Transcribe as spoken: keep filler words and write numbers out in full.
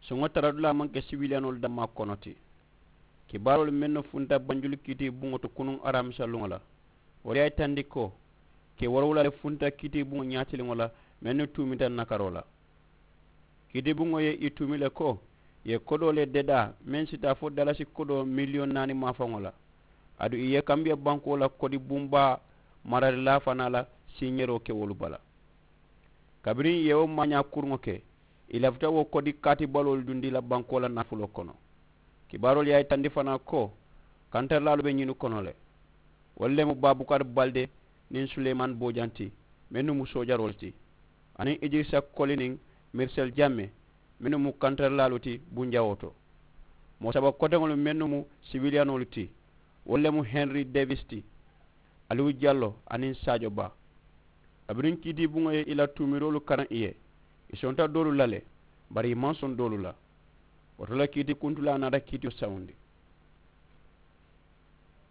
Suŋo taradulaa maŋ ke siwiliyanoolu dammaa kono ti. Kibaaroolu mennu funta banjulu kiiti buŋo to kunuŋ aramisa luŋo la, wolu ye a yitandi ko kee woorowula le funta kiiti buŋo ñaatiliŋo la mennu tuumita nakaroo la. Kiiti buŋo ye i tuumi le ko i ye kodoo le dedaa meŋ si taa fo dalasi kodoo miliyoŋ naani maafaŋo la. Aduŋ i ye kambiya bankoo la kodi bumbaa mararilaa fanaa la siiñeroo ke wolu bala. Kabiriŋ i ye wo maañaa kuruŋo ke, i lafita wo kodi kaati baloolu dundi la bankoo la nafuloo kono. Kibaaroolu ye a yitandi fanaa ko kantarilaalu be ñinnu kono le. Wolu le mu baabukari balde niŋ suleymani boojaŋ ti, mennu mu soojaroolu ti, aniŋ idirisa koli niŋ mirisel jamme, mennu mu kantarilaalu ti bunjawoo to. Moo saba koteŋolu mennu mu siwiliyanoolu ti, wolu le mu henri devis ti, aliwu jallo aniŋ saajo baa. Kabiriŋ kiitiibuŋo ye i la tuumiroolu karaŋ i ye, i sonta doolu la le, bari i maŋ soŋ doolu la. Wo to le kiitiikuntulaa naata kiitiyo sawundi.